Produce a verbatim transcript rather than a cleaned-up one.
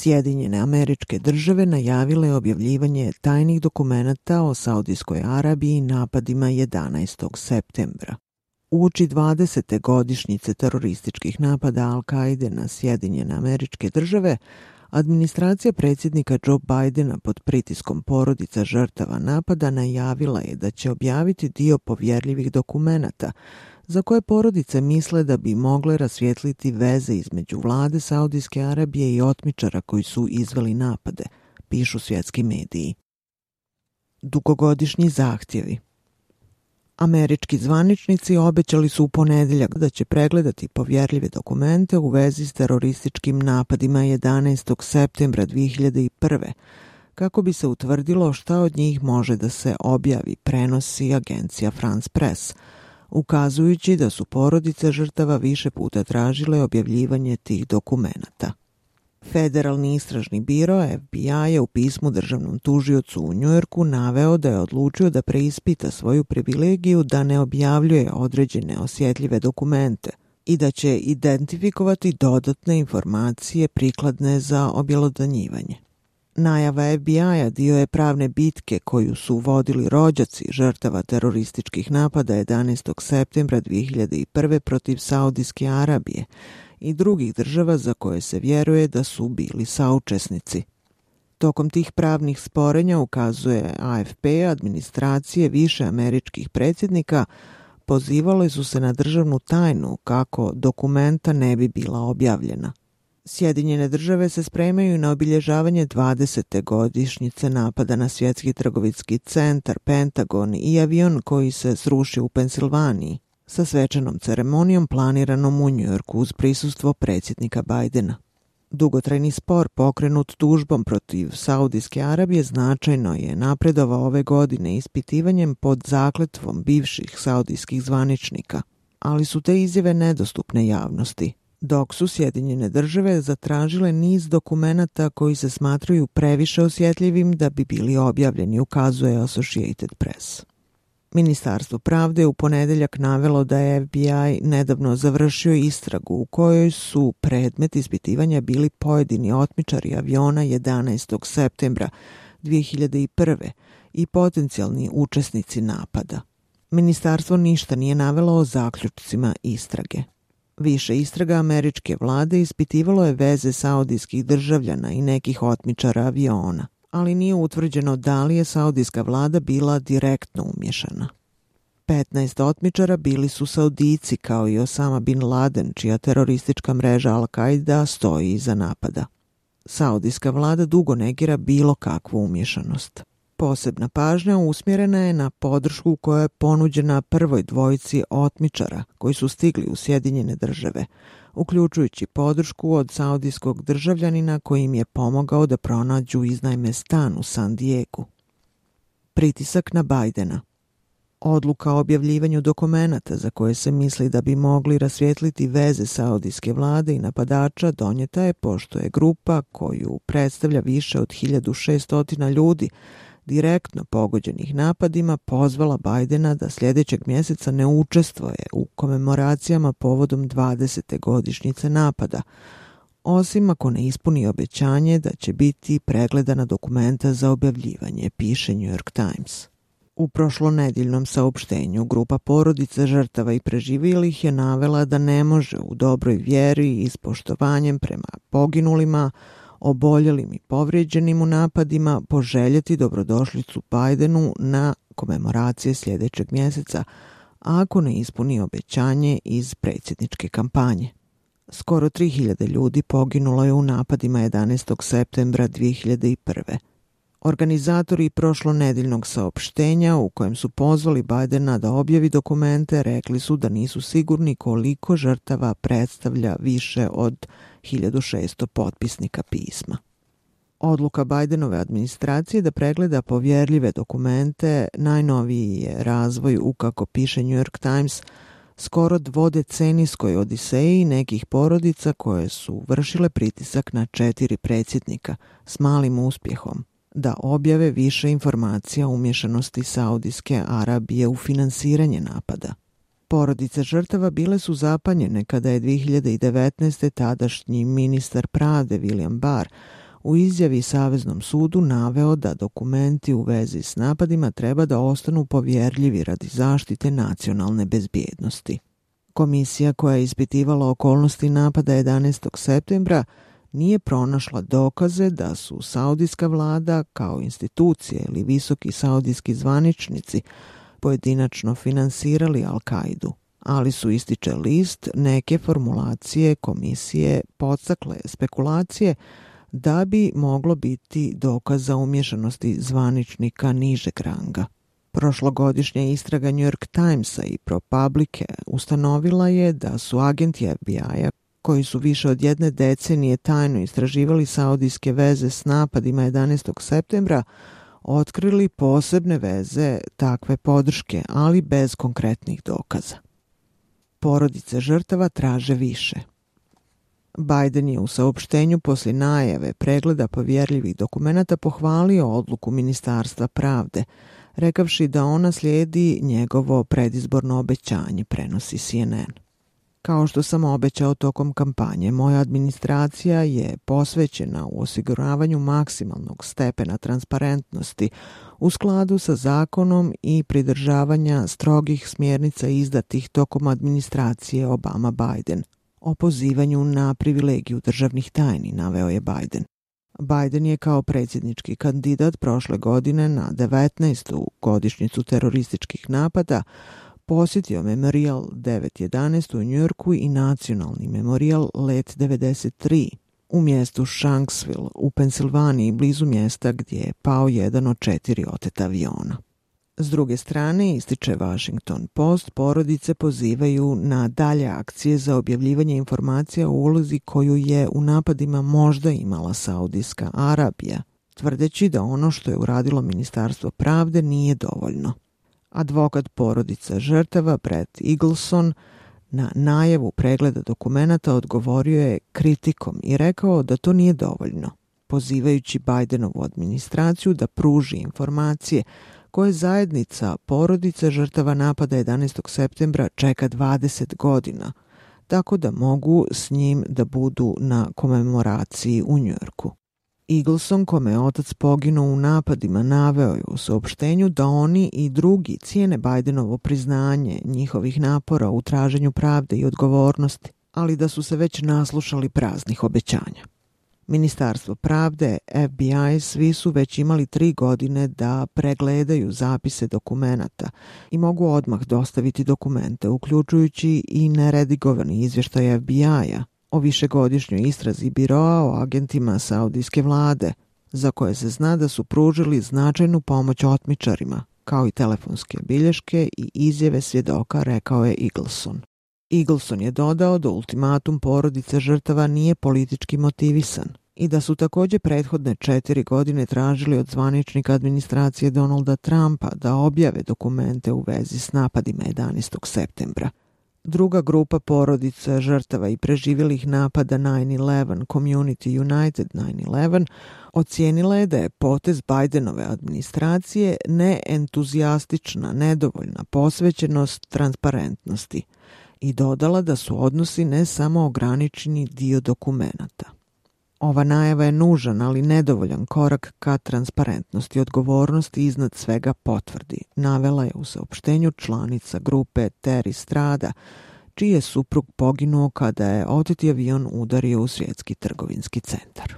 Sjedinjene Američke Države najavile objavljivanje tajnih dokumenata o Saudijskoj Arabiji i napadima jedanaestog septembra. Uoči dvadesete godišnjice terorističkih napada Al-Kaide na Sjedinjene Američke Države, administracija predsjednika Joe Bidena pod pritiskom porodica žrtava napada najavila je da će objaviti dio povjerljivih dokumenata za koje porodice misle da bi mogle rasvijetliti veze između vlade Saudijske Arabije i otmičara koji su izveli napade, pišu svjetski mediji. Dugogodišnji zahtjevi. Američki zvaničnici obećali su u ponedjeljak da će pregledati povjerljive dokumente u vezi s terorističkim napadima jedanaestog septembra dvije hiljade prve. kako bi se utvrdilo šta od njih može da se objavi, prenosi agencija France Press, ukazujući da su porodice žrtava više puta tražile objavljivanje tih dokumenata. Federalni istražni biro F B I je u pismu državnom tužiocu u Njujorku naveo da je odlučio da preispita svoju privilegiju da ne objavljuje određene osjetljive dokumente i da će identifikovati dodatne informacije prikladne za objelodanjivanje. Najava F B I-a dio je pravne bitke koju su vodili rođaci žrtava terorističkih napada jedanaestog septembra dvije hiljade prve. protiv Saudijske Arabije i drugih država za koje se vjeruje da su bili saučesnici. Tokom tih pravnih sporenja, ukazuje A F P, administracije više američkih predsjednika pozivale su se na državnu tajnu kako dokumenta ne bi bila objavljena. Sjedinjene države se spremaju na obilježavanje dvadesete godišnjice napada na svjetski trgovinski centar, Pentagon i avion koji se srušio u Pensilvaniji, sa svečanom ceremonijom planiranom u Njujorku uz prisustvo predsjednika Bidena. Dugotrajni spor pokrenut tužbom protiv Saudijske Arabije značajno je napredovao ove godine ispitivanjem pod zakletvom bivših saudijskih zvaničnika, ali su te izjave nedostupne javnosti, dok su Sjedinjene države zatražile niz dokumenata koji se smatraju previše osjetljivim da bi bili objavljeni, ukazuje Associated Press. Ministarstvo pravde je u ponedjeljak navelo da je F B I nedavno završio istragu u kojoj su predmet ispitivanja bili pojedini otmičari aviona jedanaestog septembra dvije hiljade prve. i potencijalni učesnici napada. Ministarstvo ništa nije navelo o zaključcima istrage. Više istraga američke vlade ispitivalo je veze saudijskih državljana i nekih otmičara aviona, ali nije utvrđeno da li je saudijska vlada bila direktno umješana. petnaest otmičara bili su Saudijci kao i Osama bin Laden, čija teroristička mreža Al-Qaida stoji iza napada. Saudijska vlada dugo negira bilo kakvu umješanost. Posebna pažnja usmjerena je na podršku koja je ponuđena prvoj dvojici otmičara koji su stigli u Sjedinjene države, uključujući podršku od saudijskog državljanina koji im je pomogao da pronađu iznajme stan u San Diegu. Pritisak na Bidena. Odluka o objavljivanju dokumenata za koje se misli da bi mogli rasvijetliti veze saudijske vlade i napadača donijeta je pošto je grupa koju predstavlja više od hiljadu šessto ljudi direktno pogođenih napadima pozvala Bidena da sljedećeg mjeseca ne učestvuje u komemoracijama povodom dvadesete godišnjice napada, osim ako ne ispuni obećanje da će biti pregledana dokumenta za objavljivanje, piše New York Times. U prošlonedjeljnom saopštenju grupa porodica žrtava i preživjelih je navela da ne može u dobroj vjeri i s poštovanjem prema poginulima, oboljelim i povrijeđenim u napadima poželjeti dobrodošlicu Bidenu na komemoracije sljedećeg mjeseca, ako ne ispuni obećanje iz predsjedničke kampanje. Skoro tri hiljade ljudi poginulo je u napadima jedanaestog septembra dvije hiljade prve. Organizatori prošlonedjeljnog saopštenja u kojem su pozvali Bidena da objavi dokumente rekli su da nisu sigurni koliko žrtava predstavlja više od hiljadu šesto potpisnika pisma. Odluka Bidenove administracije da pregleda povjerljive dokumente najnoviji je razvoj u, kako piše New York Times, skoro dvodecenijskoj odiseji nekih porodica koje su vršile pritisak na četiri predsjednika s malim uspjehom da objave više informacija o umješanosti Saudijske Arabije u finansiranje napada. Porodice žrtava bile su zapanjene kada je dvije hiljade devetnaeste. tadašnji ministar pravde William Barr u izjavi Saveznom sudu naveo da dokumenti u vezi s napadima treba da ostanu povjerljivi radi zaštite nacionalne bezbjednosti. Komisija koja je ispitivala okolnosti napada jedanaestog septembra nije pronašla dokaze da su saudijska vlada kao institucije ili visoki saudijski zvaničnici pojedinačno finansirali Al-Kaidu, ali su, ističe list, neke formulacije komisije podstakle spekulacije da bi moglo biti dokaza umješanosti zvaničnika nižeg ranga. Prošlogodišnja istraga New York Timesa i ProPublica ustanovila je da su agenti F B I-a koji su više od jedne decenije tajno istraživali saudijske veze s napadima jedanaestog septembra otkrili posebne veze takve podrške, ali bez konkretnih dokaza. Porodice žrtava traže više. Biden je u saopštenju poslije najave pregleda povjerljivih dokumenata pohvalio odluku Ministarstva pravde, rekavši da ona slijedi njegovo predizborno obećanje, prenosi C N N. Kao što sam obećao tokom kampanje, moja administracija je posvećena u osiguravanju maksimalnog stepena transparentnosti u skladu sa zakonom i pridržavanja strogih smjernica izdatih tokom administracije Obama-Biden. O pozivanju na privilegiju državnih tajni, naveo je Biden. Biden je kao predsjednički kandidat prošle godine na devetnaestu godišnjicu terorističkih napada posjetio Memorial devet jedanaest u Njujorku i nacionalni Memorial Let devedeset tri u mjestu Shanksville u Pensilvaniji, blizu mjesta gdje je pao jedan od četiri oteta aviona. S druge strane, ističe Washington Post, porodice pozivaju na dalje akcije za objavljivanje informacija o ulozi koju je u napadima možda imala Saudijska Arabija, tvrdeći da ono što je uradilo Ministarstvo pravde nije dovoljno. Advokat porodica žrtava Brett Eagleson na najavu pregleda dokumenata odgovorio je kritikom i rekao da to nije dovoljno, pozivajući Bidenovu administraciju da pruži informacije koje zajednica porodica žrtava napada jedanaestog septembra čeka dvadeset godina, tako da mogu s njim da budu na komemoraciji u Njujorku. Eagleson, kome je otac poginuo u napadima, naveo je u saopštenju da oni i drugi cijene Bidenovo priznanje njihovih napora u traženju pravde i odgovornosti, ali da su se već naslušali praznih obećanja. Ministarstvo pravde, F B I, svi su već imali tri godine da pregledaju zapise dokumenata i mogu odmah dostaviti dokumente, uključujući i neredigovani izvještaj F B I-a o višegodišnjoj istrazi biroa o agentima saudijske vlade, za koje se zna da su pružili značajnu pomoć otmičarima, kao i telefonske bilješke i izjave svjedoka, rekao je Eagleson. Eagleson je dodao da ultimatum porodice žrtava nije politički motivisan i da su također prethodne četiri godine tražili od zvaničnika administracije Donalda Trumpa da objave dokumente u vezi s napadima jedanaestog septembra. Druga grupa porodica žrtava i preživjelih napada nine eleven, Community United nine eleven, ocijenila je da je potez Bidenove administracije neentuzijastična, nedovoljna posvećenost transparentnosti i dodala da su odnosi ne samo ograničeni dio dokumenata. Ova najava je nužan, ali nedovoljan korak ka transparentnosti i odgovornosti iznad svega potvrdi, navela je u saopštenju članica grupe Terry Strada, čiji je suprug poginuo kada je oteti avion udario u svjetski trgovinski centar.